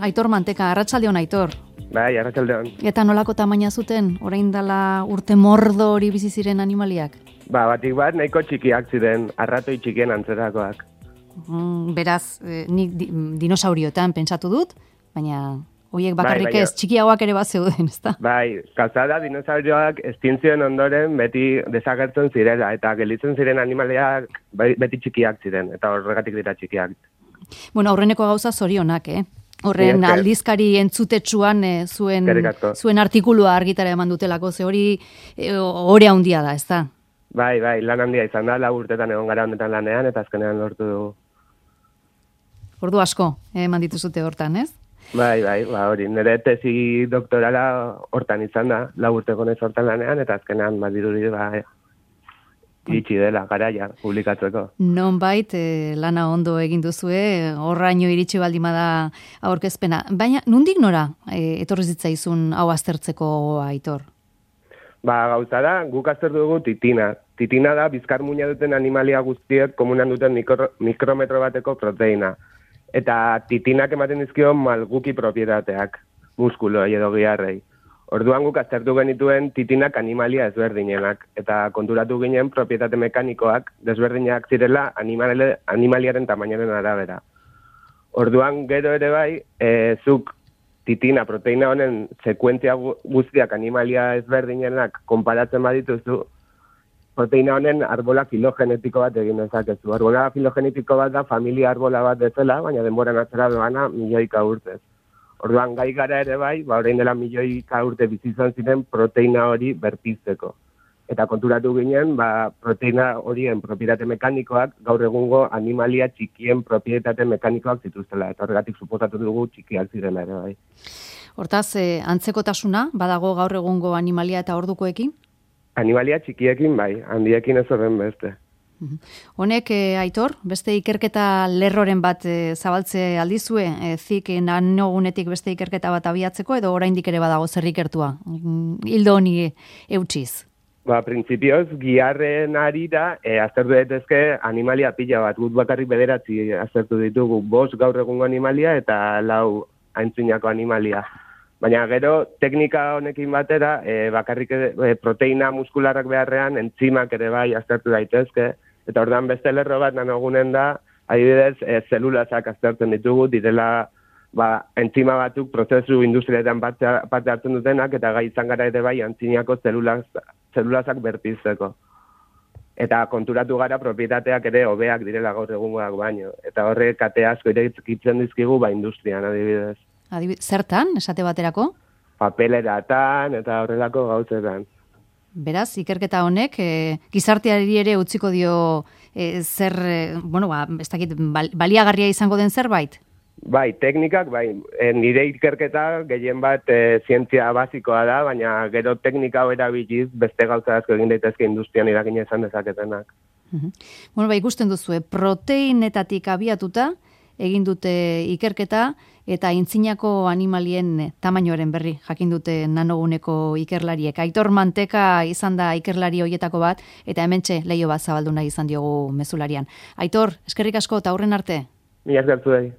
Aitor Manteka, arratsaldeon Aitor. Bai, arratsaldeon. Eta nolako tamaina zuten, orain dela urte mordo hori bizi ziren animaliak? Batik bat nahiko txikiak ziren, arratoi txikien antzerakoak. Beraz, nik dinosaurioetan pentsatu dut, baina horiek bakarrik ez, txikiagoak ere bat zeuden, ezta? Bai, gauza dinosaurioak estintzioen ondoren beti desagertzen zirela, eta gelditzen ziren animaliak beti txikiak ziren, eta horregatik dira txikiak. Bueno, aurreneko gauza zorionak, Horren aldizkari entzutetsuan zuen artikulua argitara eman dutelako, ze hori ore handia da, ezta? Bai, lan handia izan da, 4 urtetan egon gara honetan lanean, eta azkenean lortu dugu. Ordu asko, eman dituzute hortan, ez? Bai, hori, nire tesi doktorala hortan izan da, 4 urteko nez hortan lanean, eta azkenean badirudi iritsi dela, garaia, publikatzeko. Nonbait, lana ondo egin duzue, horraino iritsi baldimada aurkezpena. Baina, nondik nora etorri zitzaizun hau aztertzeko, Aitor? Gauza da, guk aztertu dugu titina. Titina da, bizkar muina duten animalia guztiek komunan duten mikrometro bateko proteina. Eta titinak ematen dizkio malguki propietateak, muskuloei edo giharrei. Orduan guk aztertu genituen titinak animalia ezberdinenak, eta konturatu ginen propietate mekanikoak desberdinak zirela animaliaren tamainaren arabera. Orduan gero ere bai, zuk titina proteina honen sekuentzia guztiak animalia ezberdinenak konparatzen badituzu, proteina honen arbola filogenetiko bat egin dezakezu. Arbola filogenetiko bat da familia arbola bat bezala, baina denboran atzera doana milioika urtez. Orduan gai gara ere bai, orain dela milioika urte bizi izan ziren proteina hori berpizteko. Eta konturatu ginen, proteina horien propietate mekanikoak gaur egungo animalia txikien propietate mekanikoak zituztela. Eta horregatik suposatu dugu txikiak zirela ere bai. Hortaz, antzekotasuna badago gaur egungo animalia eta ordukoekin? Animalia txikiekin bai, handiekin ez horren beste. Honek, Aitor, beste ikerketa lerroren bat zabaltze aldizue, zik nanogunetik beste ikerketa bat abiatzeko, edo oraindik ere badago zer ikertua, hildo honi eutsiz? Printzipioz, giharren arira, aztertu daitezke animalia pila bat, gut bakarrik 9 aztertu ditugu, 5 gaur egungo animalia eta 4 aintzinako animalia. Baina gero, teknika honekin batera, bakarrik proteina muskularrak beharrean, entzimak ere bai aztertu daitezke, eta ordan beste lerro bat nanogunen da, adibidez, zelulazak aztertzen ditugu, direla entzima batzuk prozesu industrialetan parte hartzen dutenak, eta gai izan gara ere bai antzinako zelulazak berpizteko. Eta konturatu gara propietateak ere hobeak direla gaur egungoak baino. Eta horrek kate asko irekitzen dizkigu industrian adibidez. Zertan, esate baterako? Papeleratan eta horrelako gauzetan. Beraz, ikerketa honek, gizarteari ere utziko dio zer, ez dakit, baliagarria izango den zerbait? Bai, teknikak, nire ikerketa gehien bat zientzia basikoa da, baina gero teknika hau erabiliz beste gauza asko egin daitezke industrian eragina izan dezaketenak. Ikusten duzue, proteinetatik abiatuta egin dute ikerketa, eta aintzinako animalien tamainoaren berri jakin dute nanoguneko ikerlariek. Aitor Manteka izan da ikerlari hoietako bat, eta hementxe leiho bat zabaldu nahi izan diogu mezularian. Aitor, eskerrik asko eta aurren arte. Mila esker zuei.